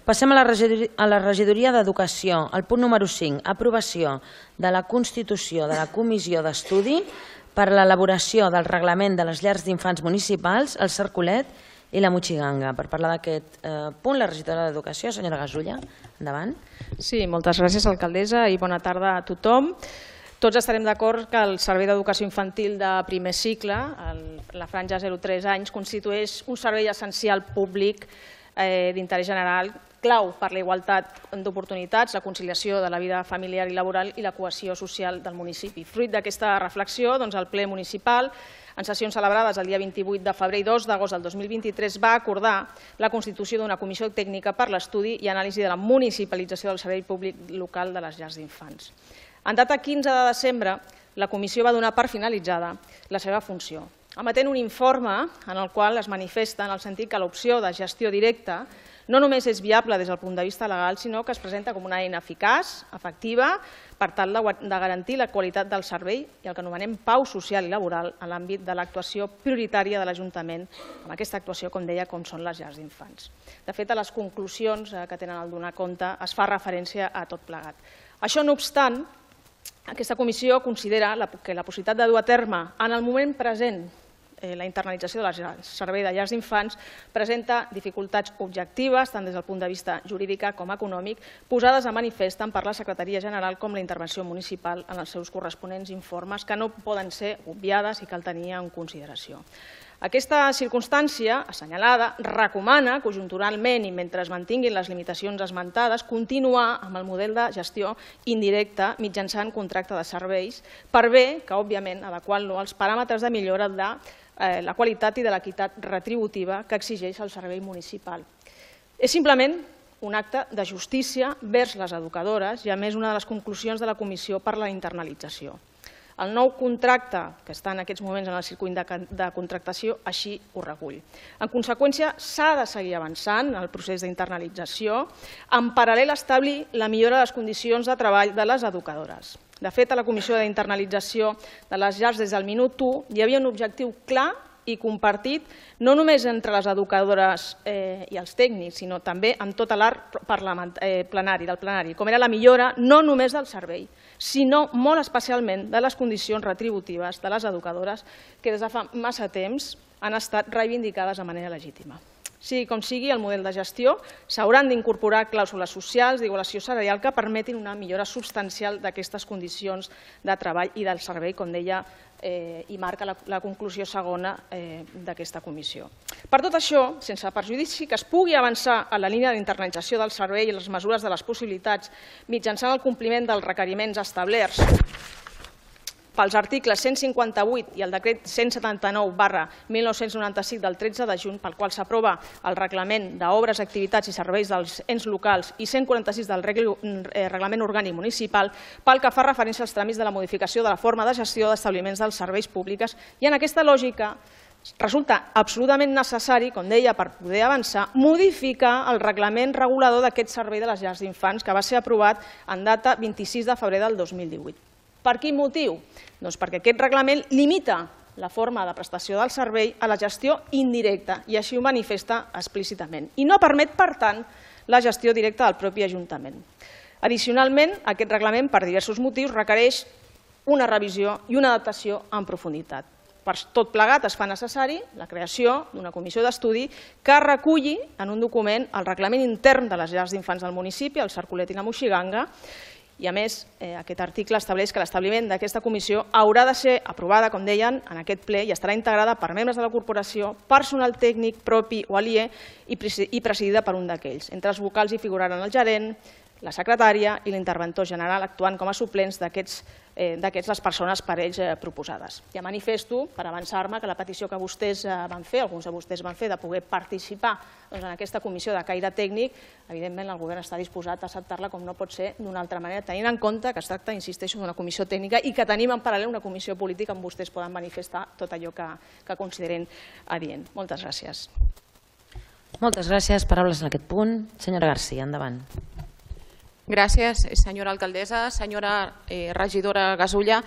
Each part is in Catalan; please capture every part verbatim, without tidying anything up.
Passem a la regidoria d'Educació. El punt número cinc, aprovació de la constitució de la Comissió d'Estudi per a l'elaboració del reglament de les llars d'infants municipals, el Cercolet i la Motxiganga. Per parlar d'aquest punt, la regidora d'Educació, senyora Gasulla, endavant. Sí, moltes gràcies, alcaldessa, i bona tarda a tothom. Tots estarem d'acord que el Servei d'Educació Infantil de primer cicle, la franja zero a tres anys, constitueix un servei essencial públic d'interès general, clau per la igualtat d'oportunitats, la conciliació de la vida familiar i laboral i la cohesió social del municipi. Fruit d'aquesta reflexió, el ple municipal, en sessions celebrades el dia vint-i-vuit de febrer i dos d'agost del dos mil vint-i-tres, va acordar la constitució d'una comissió tècnica per l'estudi i anàlisi de la municipalització del servei públic local de les llars d'infants. En data quinze de desembre, la comissió va donar per finalitzada la seva funció, emetent un informe en el qual es manifesta en el sentit que l'opció de gestió directa no només és viable des del punt de vista legal, sinó que es presenta com una eina eficaç, efectiva, per tal de garantir la qualitat del servei i el que anomenem pau social i laboral en l'àmbit de l'actuació prioritària de l'Ajuntament, amb aquesta actuació, com deia, com són les llars d'infants. De fet, a les conclusions que tenen al donar compte es fa referència a tot plegat. Això no obstant, aquesta comissió considera que la possibilitat de dur a terme en el moment present la internalització del servei de llars d'infants presenta dificultats objectives, tant des del punt de vista jurídic com econòmic, posades a manifest tant per la Secretaria General com la intervenció municipal en els seus corresponents informes, que no poden ser obviades i cal tenir en consideració. Aquesta circumstància assenyalada recomana conjunturalment i mentre es mantinguin les limitacions esmentades continuar amb el model de gestió indirecta mitjançant contracte de serveis per bé que, òbviament, adequant-lo als paràmetres de millora de la qualitat i de l'equitat retributiva que exigeix el servei municipal. És simplement un acte de justícia vers les educadores i, a més, una de les conclusions de la Comissió per la internalització. El nou contracte, que està en aquests moments en el circuit de contractació, així ho recull. En conseqüència, s'ha de seguir avançant en el procés d'internalització, en paral·lel a establir la millora de les condicions de treball de les educadores. De fet, a la Comissió d'Internalització de les llars des del minut u hi havia un objectiu clar i compartit no només entre les educadores i els tècnics, sinó també en tot l'art plenari del plenari, com era la millora no només del servei, sinó molt especialment de les condicions retributives de les educadores que des de fa massa temps han estat reivindicades de manera legítima. Sigui com sigui, el model de gestió s'hauran d'incorporar clàusules socials d'igualació salarial que permetin una millora substancial d'aquestes condicions de treball i del servei, com deia, i marca la conclusió segona d'aquesta comissió. Per tot això, sense perjudici que es pugui avançar en la línia d'internalització del servei i les mesures de les possibilitats mitjançant el compliment dels requeriments establerts pels articles cent cinquanta-vuit i el decret cent setanta-nou barra mil nou-cents noranta-cinc del tretze de juny, pel qual s'aprova el reglament d'obres, activitats i serveis dels ens locals i cent quaranta-sis del reglament orgànic municipal, pel que fa referència als tràmits de la modificació de la forma de gestió d'establiments dels serveis públics. I en aquesta lògica resulta absolutament necessari, com deia, per poder avançar, modificar el reglament regulador d'aquest servei de les llars d'infants que va ser aprovat en data vint-i-sis de febrer del dos mil divuit. Per quin motiu? Doncs perquè aquest reglament limita la forma de prestació del servei a la gestió indirecta i així ho manifesta explícitament i no permet, per tant, la gestió directa del propi Ajuntament. Addicionalment, aquest reglament, per diversos motius, requereix una revisió i una adaptació en profunditat. Per tot plegat es fa necessari la creació d'una comissió d'estudi que reculli en un document el reglament intern de les llars d'infants del municipi, el Cercolet i la Motxiganga, i a més aquest article estableix que l'establiment d'aquesta comissió haurà de ser aprovada, com deien, en aquest ple i estarà integrada per membres de la corporació, personal tècnic propi o aliè i presidida per un d'aquells. Entre els vocals hi figuraran el gerent, la secretària i l'interventor general actuant com a suplents d'aquests les persones per ells proposades. Ja manifesto, per avançar-me, que la petició que vostès van fer, alguns de vostès van fer, de poder participar en aquesta comissió de caire tècnic, evidentment el govern està disposat a acceptar-la com no pot ser d'una altra manera, tenint en compte que es tracta, insisteixo, d'una comissió tècnica i que tenim en paral·lel una comissió política on vostès poden manifestar tot allò que consideren adient. Moltes gràcies. Moltes gràcies. Paraules en aquest punt. Senyora García, endavant. Gràcies, senyora alcaldessa. Senyora regidora Gasulla,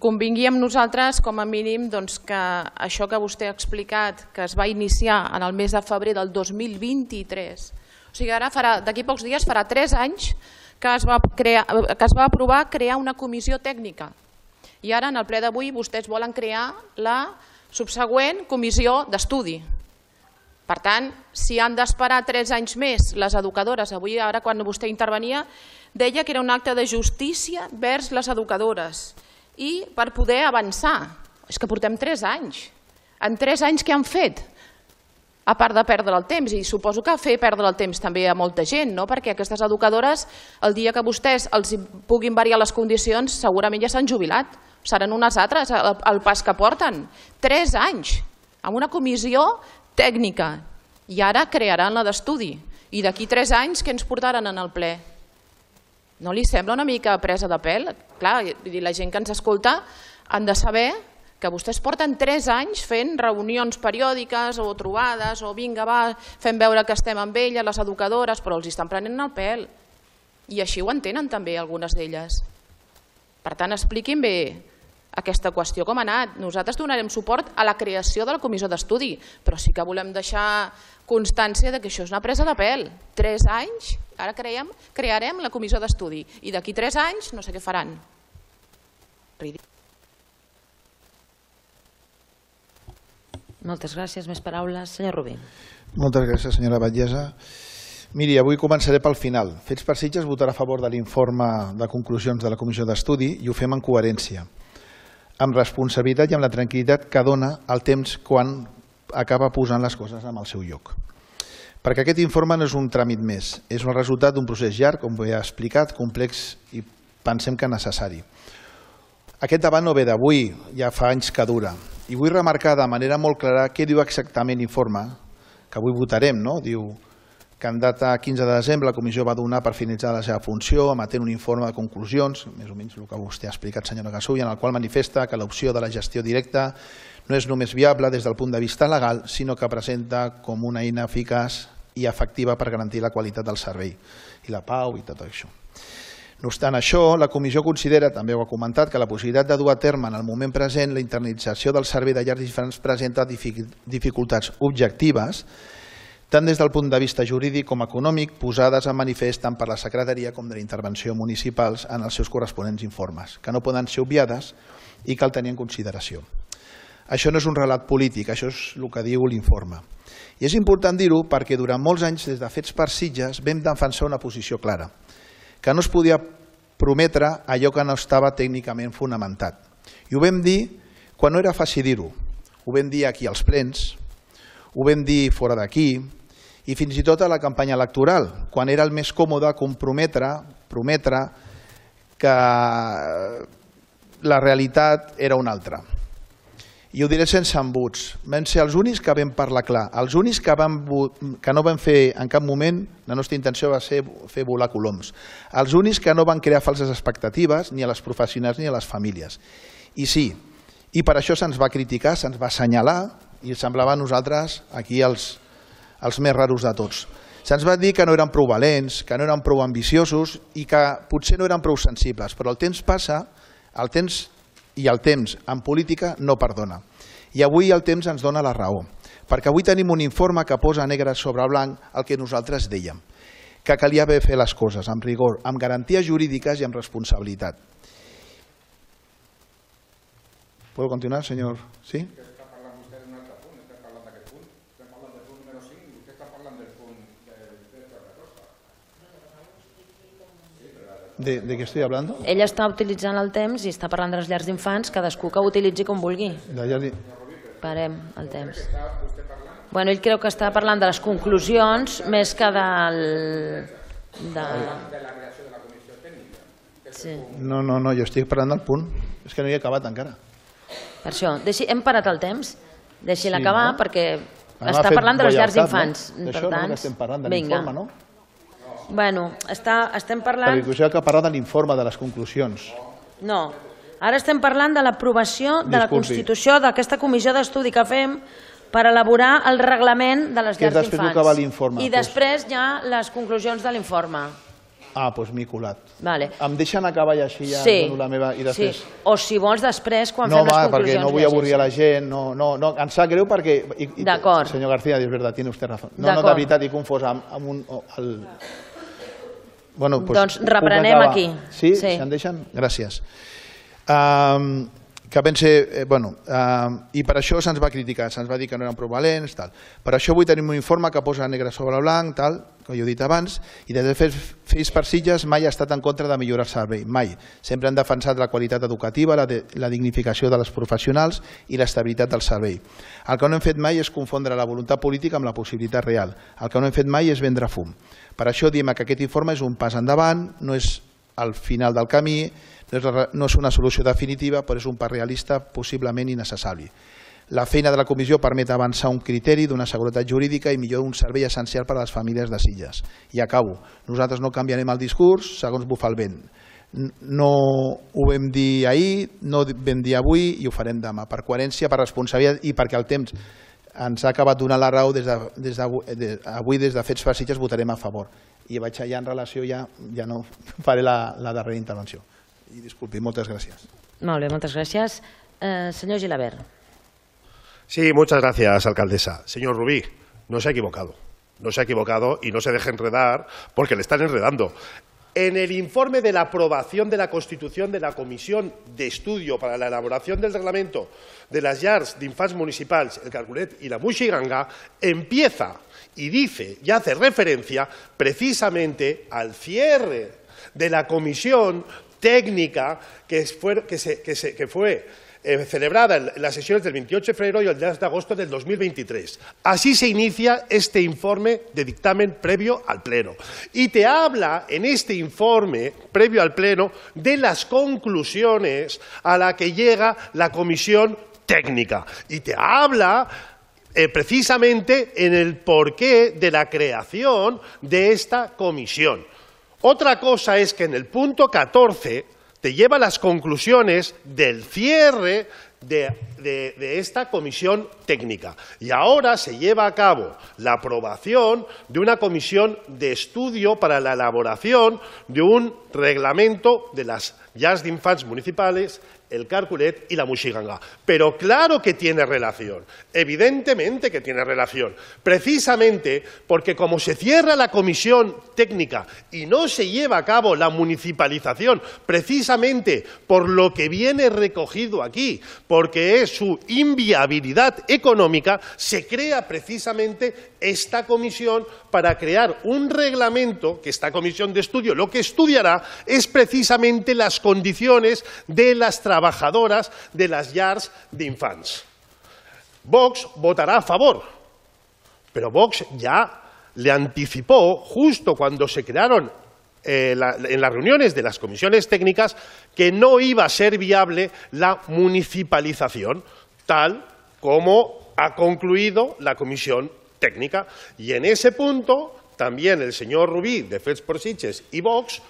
convingui amb nosaltres com a mínim que això que vostè ha explicat, que es va iniciar en el mes de febrer del dos mil vint-i-tres O sigui, ara d'aquí pocs dies farà tres anys que es va, crear, que es va aprovar crear una comissió tècnica. I ara, en el ple d'avui, vostès volen crear la subsegüent comissió d'estudi. Per tant, si han d'esperar tres anys més les educadores, avui ara quan vostè intervenia, deia que era un acte de justícia vers les educadores i per poder avançar. És que portem tres anys. En tres anys què han fet? A part de perdre el temps, i suposo que fer perdre el temps també a molta gent, no? Perquè aquestes educadores, el dia que vostès els puguin variar les condicions, segurament ja s'han jubilat. Seran unes altres el pas que porten. Tres anys, amb una comissió tècnica, i ara crearan la d'estudi. I d'aquí tres anys què ens portaran en el ple? No li sembla una mica presa de pèl? Clar, la gent que ens escolta han de saber que vostès porten tres anys fent reunions periòdiques o trobades o vinga, va, fem veure que estem amb elles, les educadores, però els estan prenent el pèl. I així ho entenen també algunes d'elles. Per tant, expliquin bé aquesta qüestió com ha anat. Nosaltres donarem suport a la creació de la comissió d'estudi, però sí que volem deixar constància que això és una presa de pèl. Tres anys, ara creiem, crearem la comissió d'estudi i d'aquí tres anys no sé què faran. Ridícul. Moltes gràcies. Més paraules. Senyor Rubí. Moltes gràcies, senyora Batllessa. Miri, avui començaré pel final. Fets per Sitges votarà a favor de l'informe de conclusions de la comissió d'estudi i ho fem en coherència, amb responsabilitat i amb la tranquil·litat que dona el temps quan acaba posant les coses en el seu lloc. Perquè aquest informe no és un tràmit més, és el resultat d'un procés llarg, com he explicat, complex i pensem que necessari. Aquest debat no ve d'avui, ja fa anys que dura, i vull remarcar de manera molt clara què diu exactament l'informe, que avui votarem, no? Diu que en data quinze de desembre la comissió va donar per finalitzar la seva funció emetent un informe de conclusions, més o menys el que vostè ha explicat, senyora Gasulla, en el qual manifesta que l'opció de la gestió directa no és només viable des del punt de vista legal, sinó que presenta com una eina eficaç i efectiva per garantir la qualitat del servei i la pau i tot això. No obstant això, la comissió considera, també ho ha comentat, que la possibilitat de dur a terme en el moment present la internalització del servei de llars d'infants presenta dificultats objectives tant des del punt de vista jurídic com econòmic, posades en manifest tant per la Secretaria com de la Intervenció municipals en els seus corresponents informes, que no poden ser obviades i cal tenir en consideració. Això no és un relat polític, això és el que diu l'informe. I és important dir-ho perquè durant molts anys, des de Fets per Sitges, vam defensar una posició clara, que no es podia prometre allò que no estava tècnicament fonamentat. I ho vam dir quan no era fàcil dir-ho. Ho vam dir aquí als plens, ho vam dir fora d'aquí, i fins i tot a la campanya electoral, quan era el més còmode comprometre, prometre que la realitat era una altra. I ho diré sense embuts. Vam ser els únics que vam parlar clar, els únics que, vam, que no vam fer en cap moment, la nostra intenció va ser fer volar coloms, els únics que no van crear falses expectatives ni a les professionals ni a les famílies. I sí, i per això se'ns va criticar, se'ns va assenyalar, i semblava a nosaltres aquí els els més raros de tots. Se'ns va dir que no eren prou valents, que no eren prou ambiciosos i que potser no eren prou sensibles, però el temps passa, el temps i el temps en política no perdona. I avui el temps ens dona la raó, perquè avui tenim un informe que posa negre sobre blanc el que nosaltres dèiem, que calia haver fet les coses amb rigor, amb garanties jurídiques i amb responsabilitat. ¿Puedo continuar, señor? ¿Sí? ¿De, ¿De qué estoy hablando? Ella està utilitzant el temps i està parlant de les llars d'infants, cadascú que ho utilitzi com vulgui. De... Parem el temps. Bueno, ell creu que està parlant de les conclusions més que del... De... Sí. No, no, no, jo estic parlant del punt. És que no hi he acabat encara. Per això, deixi, hem parat el temps, deixi-la Sí, acabar no? perquè Hem està fet parlant de les llars lleialtat, d'infants. no? Per D'això no, tant, que estem parlant de vinga. l'informe, no? Bueno, està, estem parlant... Perquè us heu que parlar de l'informe, de les conclusions. No, ara estem parlant de l'aprovació de la Disculpi. constitució d'aquesta comissió d'estudi que fem per elaborar el reglament de les Que és llars després el que va d'infants. l'informe, I doncs. després hi ha les conclusions de l'informe. Ah, doncs m'he colat. Vale. Em deixen acabar i així ja Sí, dono la meva... I després... sí. O si vols després, quan No, fem les va, conclusions... perquè no vull avorrir a la gent, no, no, no, em sap greu perquè... i- i- D'acord. Senyor García, és veritat, tiene usted razón. No, no, D'acord. de veritat, he confós amb, amb un... o- El... Bueno, pues, Doncs puc reprenem acabar. aquí. Sí? Sí. Si em deixen? Gràcies. Um, que pense, eh, bueno, um, i per això se'ns va criticar, se'ns va dir que no eren prou valents, tal. Per això avui tenim un informe que posa negre sobre blanc, tal, com jo he dit abans, i des de Fets per Sitges mai ha estat en contra de millorar el servei, mai. Sempre han defensat la qualitat educativa, la, de, la dignificació de les professionals i l'estabilitat del servei. El que no hem fet mai és confondre la voluntat política amb la possibilitat real. El que no hem fet mai és vendre fum. Per això diem que aquest informe és un pas endavant, no és el final del camí, no és, no és una solució definitiva, però és un pas realista possiblement innecessari. La feina de la comissió permet avançar un criteri d'una seguretat jurídica i millor un servei essencial per a les famílies de Sitges. I acabo. Nosaltres no canviarem el discurs segons bufa el vent. No ho vam dir ahir, no ho vam dir avui i ho farem demà. Per coherència, per responsabilitat i perquè el temps ens ha acabat donant la raó, des de, des de, de, avui des de Fets per Sitges votarem a favor. I vaig allà en relació, ja, ja no faré la, la darrera intervenció. I disculpi, moltes gràcies. Molt bé, moltes gràcies. Eh, senyor Gilabert. Sí, muchas gracias, alcaldesa. Señor Rubí, no se ha equivocado. No se ha equivocado y no se deje enredar porque le están enredando. En el informe de la aprobación de la constitución de la Comisión de Estudio para la elaboración del reglamento de las llars d'infants municipals, el Carculet y la Muixiganga, empieza y dice y hace referencia precisamente al cierre de la comisión técnica que fue, que se, que se, que fue eh, celebrada en las sesiones del veintiocho de febrero y el diez de agosto del dos mil veintitrés. Así se inicia este informe de dictamen previo al Pleno. Y te habla en este informe previo al Pleno de las conclusiones a las que llega la comisión técnica. Y te habla eh, precisamente en el porqué de la creación de esta comisión. Otra cosa es que en el punto catorce te lleva las conclusiones del cierre de, de, de esta comisión técnica. Y ahora se lleva a cabo la aprobación de una comisión de estudio para la elaboración de un reglamento de las llars d'infants municipales, el Carculet y la Muixiganga. Pero claro que tiene relación, evidentemente que tiene relación, precisamente porque como se cierra la comisión técnica y no se lleva a cabo la municipalización, precisamente por lo que viene recogido aquí, porque es su inviabilidad económica, se crea precisamente esta comisión para crear un reglamento, que esta comisión de estudio lo que estudiará es precisamente las condiciones de las trabajadoras de las llars d'infants. Vox votará a favor, pero Vox ya le anticipó, justo cuando se crearon eh, la, en las reuniones de las comisiones técnicas, que no iba a ser viable la municipalización, tal como ha concluido la comisión técnica. Y en ese punto también el señor Rubí de Fets per Sitges y Vox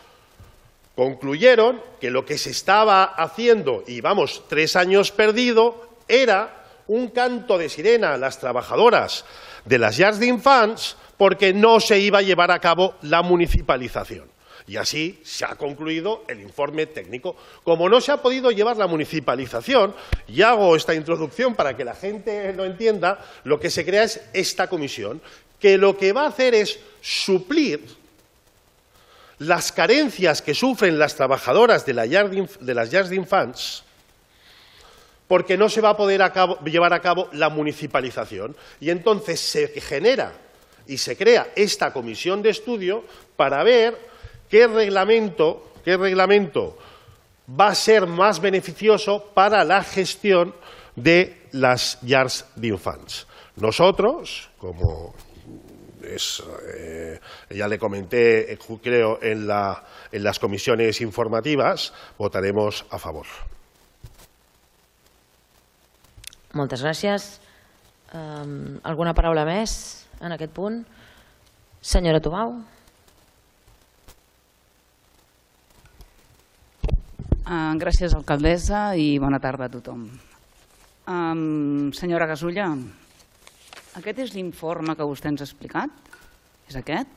concluyeron que lo que se estaba haciendo, y vamos, tres años perdido, era un canto de sirena a las trabajadoras de las llars d'infants porque no se iba a llevar a cabo la municipalización. Y así se ha concluido el informe técnico. Como no se ha podido llevar la municipalización, y hago esta introducción para que la gente lo entienda, lo que se crea es esta comisión, que lo que va a hacer es suplir las carencias que sufren las trabajadoras de, la llar de las llars d'infants porque no se va a poder a cabo, llevar a cabo la municipalización. Y entonces se genera y se crea esta comisión de estudio para ver qué reglamento, qué reglamento va a ser más beneficioso para la gestión de las llars d'infants. Nosotros, como es, eh, ya le comenté, creo, en, la, en las comisiones informativas, votaremos a favor. Moltes gràcies. Um, alguna paraula més en aquest punt? Senyora Tubau. Uh, gràcies, alcaldessa, i bona tarda a tothom. Um, senyora Gasulla, aquest és l'informe que vostè ens ha explicat? És aquest?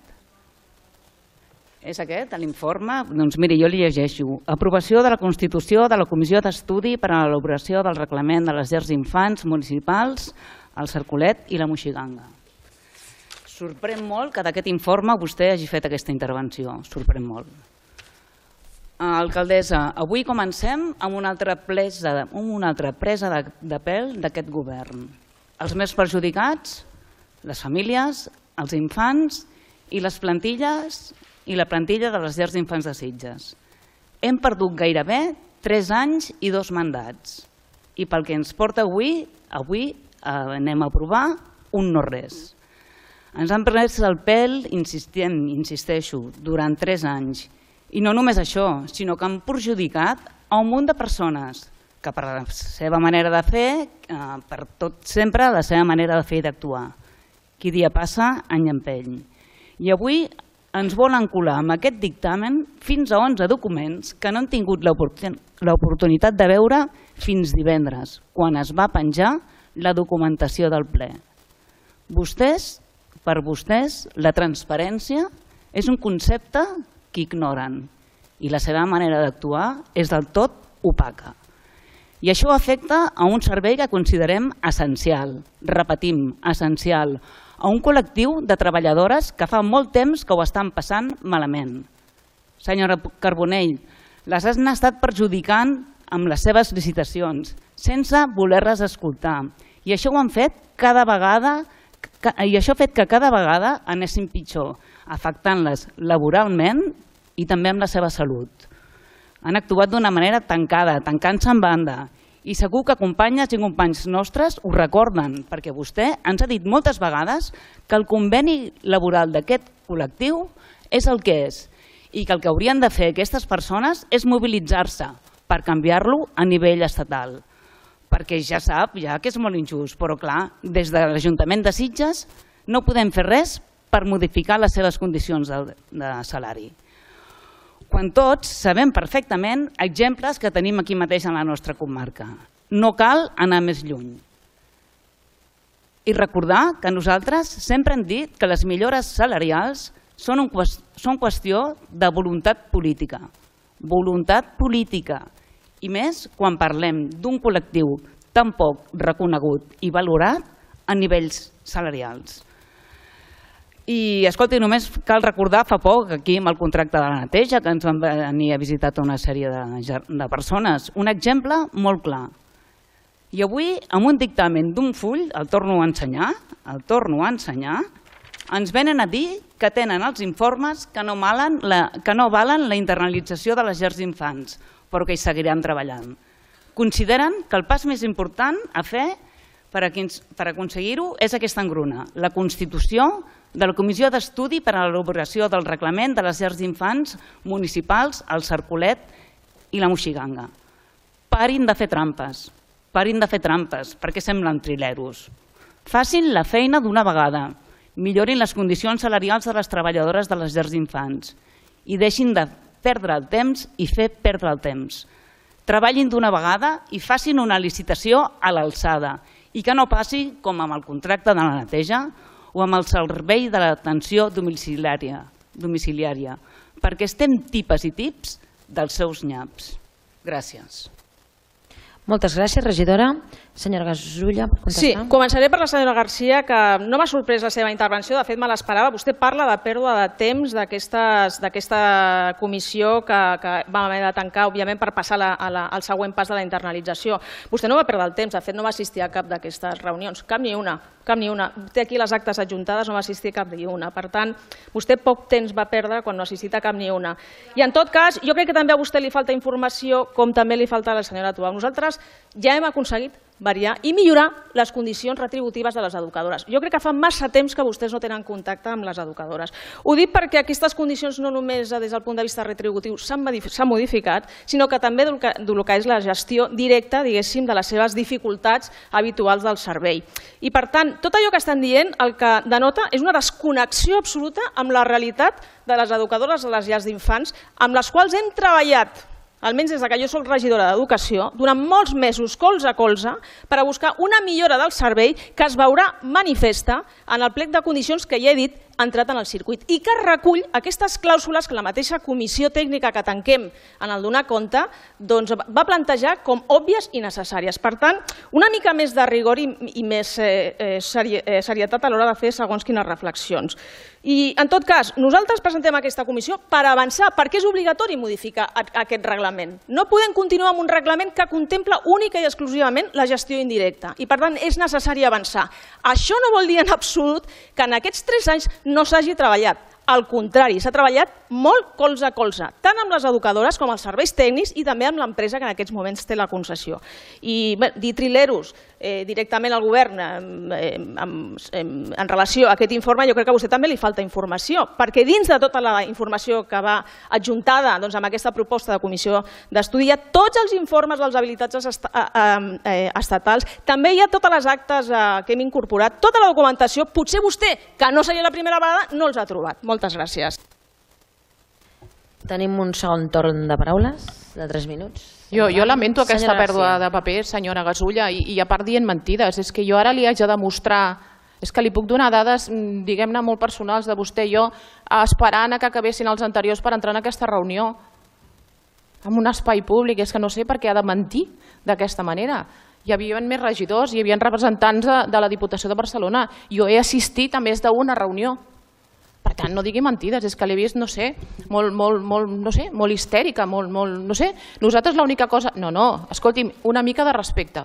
És aquest, l'informe? Doncs miri, jo li llegeixo. Aprovació de la Constitució de la Comissió d'Estudi per a l'elaboració del reglament de les llars d'infants municipals, el Cercolet i la Moixiganga. Sorprèn molt que d'aquest informe vostè hagi fet aquesta intervenció. Sorprèn molt. Alcaldessa, avui comencem amb una altra presa, una altra presa de, de pèl d'aquest govern. Els més perjudicats, les famílies, els infants i les plantilles i la plantilla de les llars d'infants de Sitges. Hem perdut gairebé tres anys i dos mandats. I pel que ens porta avui, avui eh, anem a aprovar un no res. Ens han pres el pèl, insistent, insisteixo, durant tres anys. I no només això, sinó que han perjudicat a un munt de persones que per la seva manera de fer, eh, per tot sempre la seva manera de fer i d'actuar. Qui dia passa, any empeny. I avui ens volen colar amb aquest dictamen fins a onze documents que no han tingut l'oportunitat de veure fins divendres, quan es va penjar la documentació del ple. Vostès, per vostès, la transparència és un concepte que ignoren i la seva manera d'actuar és del tot opaca. I això afecta a un servei que considerem essencial, repetim, essencial, a un col·lectiu de treballadores que fa molt temps que ho estan passant malament. Senyora Carbonell, les han estat perjudicant amb les seves licitacions, sense voler-les escoltar. I això ho han fet cada vegada, i això ha fet que cada vegada anessin pitjor, afectant-les laboralment i també amb la seva salut. Han actuat d'una manera tancada, tancant-se en banda. I segur que companyes i companys nostres ho recorden, perquè vostè ens ha dit moltes vegades que el conveni laboral d'aquest col·lectiu és el que és i que el que haurien de fer aquestes persones és mobilitzar-se per canviar-lo a nivell estatal. Perquè ja sap ja que és molt injust, però clar, des de l'Ajuntament de Sitges no podem fer res per modificar les seves condicions de, de salari. Quan tots sabem perfectament exemples que tenim aquí mateix en la nostra comarca. No cal anar més lluny. I recordar que nosaltres sempre hem dit que les millores salarials són, un, són qüestió de voluntat política. Voluntat política. I més quan parlem d'un col·lectiu tan poc reconegut i valorat a nivells salarials. I, escolti, només cal recordar fa poc aquí amb el contracte de la neteja que ens van venir a visitar una sèrie de, de persones. Un exemple molt clar. I avui, amb un dictamen d'un full, el torno a ensenyar, el torno a ensenyar, ens venen a dir que tenen els informes que no, malen la, que no valen la internalització de les llars d'infants, però que hi seguiran treballant. Consideren que el pas més important a fer per, per aconseguir-ho és aquesta engruna, la Constitució de la Comissió d'Estudi per a l'elaboració del reglament de les llars d'infants municipals, el Cercolet i la Moixiganga. Parin de fer trampes, parin de fer trampes, perquè semblen trileros. Facin la feina d'una vegada, millorin les condicions salarials de les treballadores de les llars d'infants i deixin de perdre el temps i fer perdre el temps. Treballin d'una vegada i facin una licitació a l'alçada i que no passi com amb el contracte de la neteja o amb el servei de l'atenció domiciliària, domiciliària, perquè estem tipes i tips dels seus nyaps. Gràcies. Moltes gràcies, regidora. Senyora Gasulla, per contestar. Sí, començaré per la senyora Garcia, que no m'ha sorprès la seva intervenció, de fet me l'esperava. Vostè parla de pèrdua de temps d'aquesta comissió que, que vam haver de tancar, òbviament, per passar la, a la, al següent pas de la internalització. Vostè no va perdre el temps, de fet no va assistir a cap d'aquestes reunions, cap ni una. Cap ni una. Té aquí les actes adjuntades, no va assistir a cap ni una. Per tant, vostè poc temps va perdre quan no ha assistit a cap ni una. I en tot cas, jo crec que també a vostè li falta informació, com també li falta a la senyora Tubau. Nosaltres ja hem aconseguit variar i millorar les condicions retributives de les educadores. Jo crec que fa massa temps que vostès no tenen contacte amb les educadores. Ho dic perquè aquestes condicions no només des del punt de vista retributiu s'han modificat, sinó que també del que, del que és la gestió directa, diguéssim, de les seves dificultats habituals del servei. I per tant, tot allò que estan dient el que denota és una desconnexió absoluta amb la realitat de les educadores de les llars d'infants, amb les quals hem treballat, almenys des que jo soc regidora d'Educació, durant molts mesos, colze a colze, per a buscar una millora del servei que es veurà manifesta en el plec de condicions que ja he dit entrat en el circuit i que recull aquestes clàusules que la mateixa comissió tècnica que tanquem en el donar compte va plantejar com òbvies i necessàries. Per tant, una mica més de rigor i més serietat a l'hora de fer segons quines reflexions. I, en tot cas, nosaltres presentem aquesta comissió per avançar, perquè és obligatori modificar aquest reglament. No podem continuar amb un reglament que contempla única i exclusivament la gestió indirecta i, per tant, és necessari avançar. Això no vol dir en absolut que en aquests tres anys no s'hagi treballat. Al contrari, s'ha treballat molt colze a colze, tant amb les educadores com els serveis tècnics i també amb l'empresa que en aquests moments té la concessió. I dir trileros directament al govern en relació a aquest informe, jo crec que a vostè també li falta informació, perquè dins de tota la informació que va adjuntada amb aquesta proposta de comissió d'estudi hi ha tots els informes dels habilitats estatals, també hi ha totes les actes que hem incorporat, tota la documentació, potser vostè, que no seria la primera vegada, no els ha trobat. Moltes gràcies. Tenim un segon torn de paraules, de tres minuts. Jo, jo lamento aquesta pèrdua de paper, senyora Gasulla, i, i a part dient mentides. És que jo ara li haig de demostrar, és que li puc donar dades, diguem-ne, molt personals de vostè i jo, esperant que acabessin els anteriors per entrar en aquesta reunió, en un espai públic. És que no sé per què ha de mentir d'aquesta manera. Hi havia més regidors, hi havia representants de, de la Diputació de Barcelona. Jo he assistit a més d'una reunió. Per tant, no digui mentides, és que l'he vist, no sé, molt, molt, molt, no sé, molt histèrica, molt, molt, no sé. Nosaltres l'única cosa... No, no, escolti'm, una mica de respecte.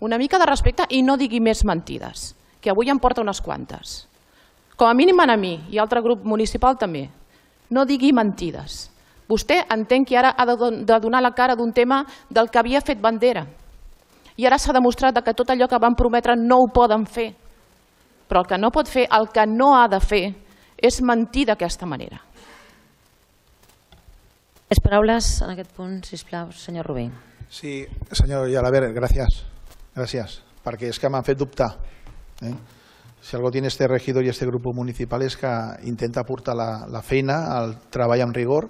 Una mica de respecte i no digui més mentides, que avui em porta unes quantes. Com a mínim a mi i altre grup municipal també. No digui mentides. Vostè entén que ara ha de donar la cara d'un tema del que havia fet bandera. I ara s'ha demostrat que tot allò que van prometre no ho poden fer. Però el que no pot fer, el que no ha de fer, és mentir d'aquesta manera. Les paraules en aquest punt, sisplau, senyor Rubí. Sí, senyor Gelabert, gràcies. Gràcies, perquè és que m'han fet dubtar. Eh? Si algo tiene este regidor y este grupo municipal és que intenta portar la, la feina, el treball amb rigor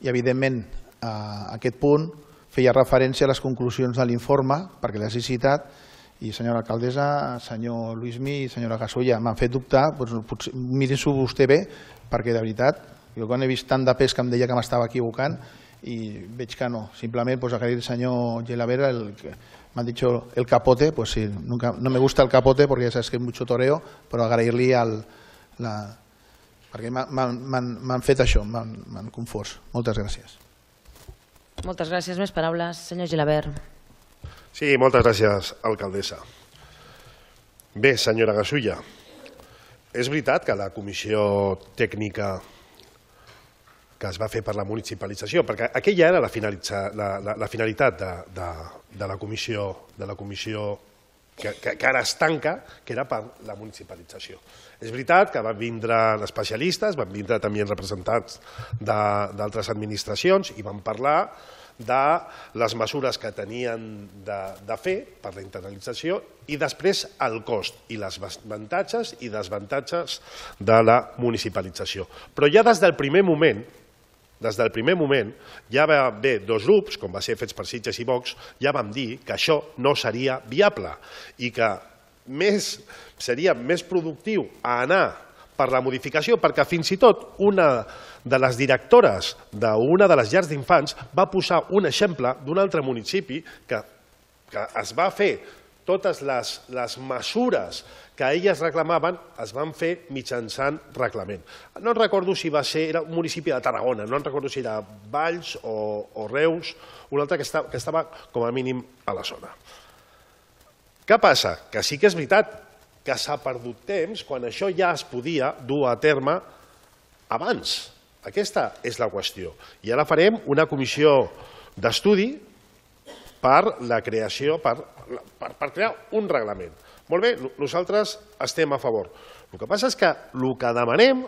i, evidentment, a aquest punt feia referència a les conclusions de l'informe, perquè les he citat, i senyora alcaldessa, senyor Luismi i senyora Gasulla, m'han fet dubtar, doncs, miri-s'ho vostè bé, perquè de veritat, jo quan he vist tant de pes que em deia que m'estava equivocant i veig que no, simplement pues, agrair al senyor Gelabert, el, m'han dit el capote, pues sí, nunca, no me gusta el capote porque ya sabes que es mucho toreo, però agrair-li el, la, perquè m'han fet això, m'han confós. Moltes gràcies. Moltes gràcies. Més paraules, senyor Gelabert. Sí, moltes gràcies, alcaldessa. Bé, senyora Gasulla, és veritat que la comissió tècnica que es va fer per la municipalització, perquè aquella era la, la, la, la finalitat de, de, de la comissió, de la comissió que, que, que ara es tanca, que era per la municipalització. És veritat que van vindre especialistes, van vindre també representants d'altres administracions i van parlar de les mesures que tenien de, de fer per la internalització i després el cost i les avantatges i desavantatges de la municipalització. Però ja des del primer moment, des del primer moment, ja va haver dos grups, com va ser Fets per Sitges i Vox, ja vam dir que això no seria viable i que més, seria més productiu anar per la modificació, perquè fins i tot una de les directores d'una de les llars d'infants va posar un exemple d'un altre municipi que, que es va fer totes les, les mesures que elles reclamaven, es van fer mitjançant reglament. No recordo si va ser, era un municipi de Tarragona, no recordo si era Valls o, o Reus, un altre que estava, que estava com a mínim a la zona. Què passa? Que sí que és veritat que s'ha perdut temps quan això ja es podia dur a terme abans. Aquesta és la qüestió. I ara farem una comissió d'estudi per la creació, per, per, per crear un reglament. Molt bé, nosaltres estem a favor. El que passa és que el que demanem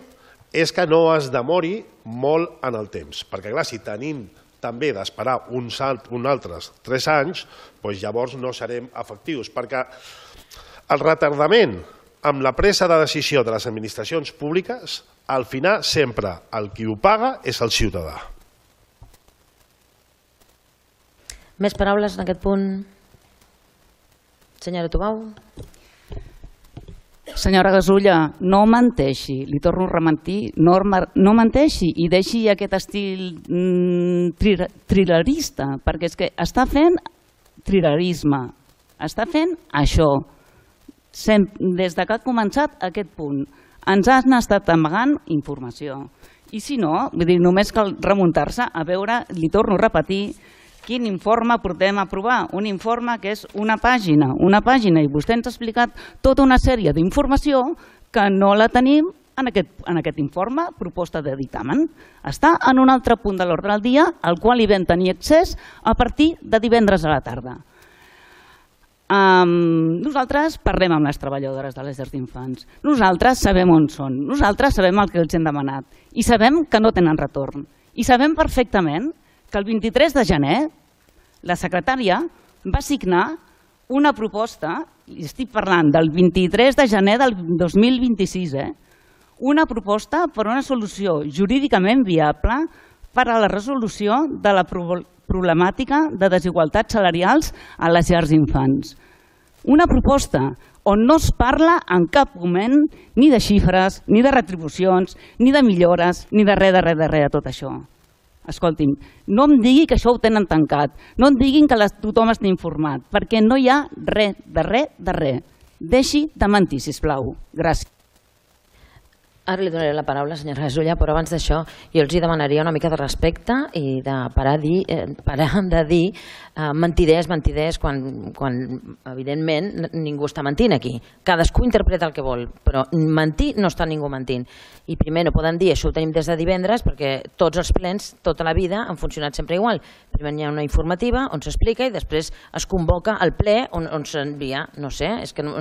és que no es demori molt en el temps, perquè clar, si tenim també d'esperar uns altres tres anys, doncs llavors no serem efectius, perquè el retardament amb la presa de decisió de les administracions públiques, al final sempre el qui ho paga és el ciutadà. Més paraules en aquest punt? Senyora Tubau. Senyora Gasulla, no menteixi, li torno a rementir, no, no menteixi i deixi aquest estil mm, trilerista, perquè és que està fent trilerisme, està fent això. Sem, des que ha començat aquest punt, ens han estat amagant informació. I si no, vull dir, només cal remuntar-se a veure, li torno a repetir, quin informe portem a aprovar? Un informe que és una pàgina, una pàgina, i vostè ens ha explicat tota una sèrie d'informació que no la tenim en aquest, en aquest informe, proposta de dictamen. Està en un altre punt de l'ordre del dia, al qual hi vam tenir accés a partir de divendres a la tarda. Um, nosaltres parlem amb les treballadores de les llars d'infants. Nosaltres sabem on són, nosaltres sabem el que els hem demanat i sabem que no tenen retorn. I sabem perfectament que el vint-i-tres de gener la secretària va signar una proposta, i estic parlant del vint-i-tres de gener del dos mil vint-i-sis, eh? una proposta per a una solució jurídicament viable per a la resolució de la problemàtica de desigualtats salarials a les llars d'infants. Una proposta on no es parla en cap moment ni de xifres, ni de retribucions, ni de millores, ni de res, de res, de res de tot això. Escolti'm, no em digui que això ho tenen tancat, no em diguin que tothom està informat, perquè no hi ha res, de res, de res. Deixi de mentir, sisplau. Gràcies. Ara li donaré la paraula, senyora Gasulla, però abans d'això jo els demanaria una mica de respecte i de parar, dir, eh, parar de dir eh, mentiders, mentiders, quan, quan evidentment ningú està mentint aquí. Cadascú interpreta el que vol, però mentir no està ningú mentint. I primer no poden dir, això ho tenim des de divendres, perquè tots els plens, tota la vida, han funcionat sempre igual. Primer hi ha una informativa on s'explica i després es convoca el ple on, on s'envia, no sé, és que... No,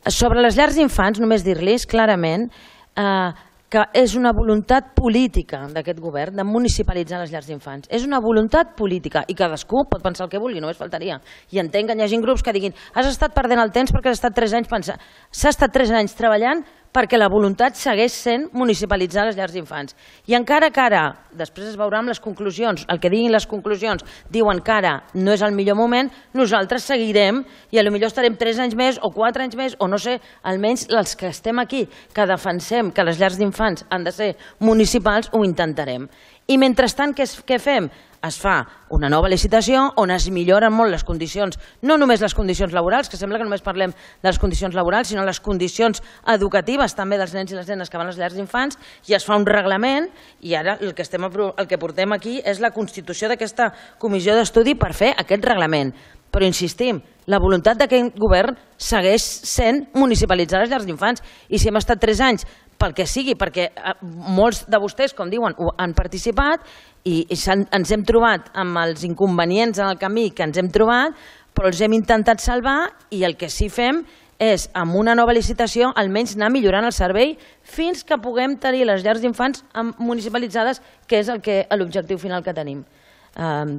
sobre les llars d'infants, només dir-los clarament eh, que és una voluntat política d'aquest govern de municipalitzar les llars d'infants. És una voluntat política i cadascú pot pensar el que vulgui, només faltaria. I entenc que hi hagi grups que diguin has estat perdent el temps perquè has estat tres anys pensant. S'ha estat tres anys treballant perquè la voluntat segueix sent municipalitzar les llars d'infants. I encara que ara, després es veurà amb les conclusions, el que diguin les conclusions, diuen que ara no és el millor moment, nosaltres seguirem i potser estarem tres anys més o quatre anys més, o no sé, almenys els que estem aquí, que defensem que les llars d'infants han de ser municipals, ho intentarem. I mentrestant, què fem? Es fa una nova licitació on es milloren molt les condicions, no només les condicions laborals, que sembla que només parlem de les condicions laborals, sinó les condicions educatives també dels nens i les nenes que van a les llars d'infants, i es fa un reglament i ara el que, estem, el que portem aquí és la constitució d'aquesta comissió d'estudi per fer aquest reglament. Però insistim, la voluntat d'aquest govern segueix sent municipalitzar les llars d'infants i si hem estat tres anys pel que sigui, perquè molts de vostès, com diuen, han participat i ens hem trobat amb els inconvenients en el camí que ens hem trobat, però els hem intentat salvar i el que sí fem és, amb una nova licitació, almenys anar millorant el servei fins que puguem tenir les llars d'infants municipalitzades, que és l'objectiu final que tenim.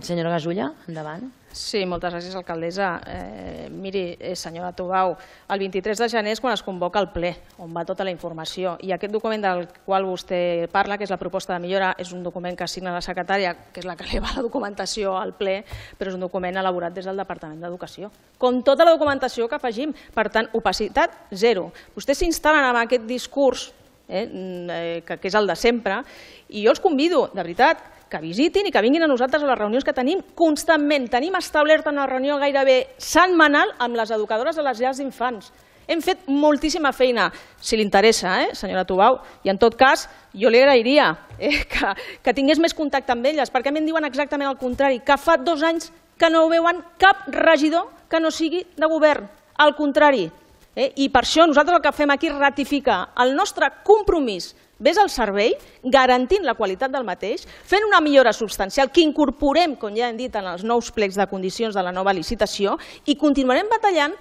Senyora Gasulla, endavant. Sí, moltes gràcies, alcaldessa. Eh, miri, eh, senyora Tubau, el vint-i-tres de gener és quan es convoca el ple, on va tota la informació. I aquest document del qual vostè parla, que és la proposta de millora, és un document que signa la secretària, que és la que eleva la documentació al ple, però és un document elaborat des del Departament d'Educació. Com tota la documentació que afegim. Per tant, opacitat zero. Vostès s'instal·len en aquest discurs, eh, que, que és el de sempre, i jo els convido, de veritat, que visitin i que vinguin a nosaltres a les reunions que tenim constantment. Tenim establerta una reunió gairebé setmanal amb les educadores de les llars d'infants. Hem fet moltíssima feina, si li interessa, eh, senyora Tubau, i en tot cas jo li agrairia eh, que, que tingués més contacte amb elles, perquè a mi em diuen exactament el contrari, que fa dos anys que no veuen cap regidor que no sigui de govern, al contrari. Eh, I per això nosaltres el que fem aquí és ratificar el nostre compromís ves al servei, garantint la qualitat del mateix, fent una millora substancial que incorporem, com ja hem dit, en els nous plecs de condicions de la nova licitació i continuarem batallant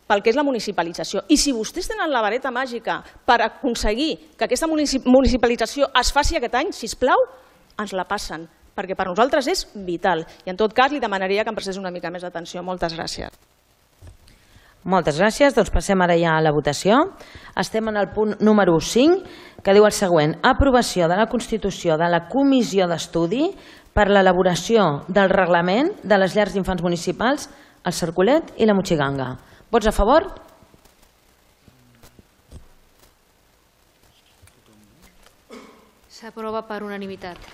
pel que és la municipalització. I si vostès tenen la vareta màgica per aconseguir que aquesta municipalització es faci aquest any, sisplau, ens la passen, perquè per nosaltres és vital. I en tot cas li demanaria que em prestés una mica més d'atenció. Moltes gràcies. Moltes gràcies. Doncs passem ara ja a la votació. Estem en el punt número cinc, que diu el següent: aprovació de la constitució de la Comissió d'Estudi per l'elaboració del reglament de les llars d'infants municipals, el Cercolet i la Motxiganga. Vots a favor? S'aprova per unanimitat.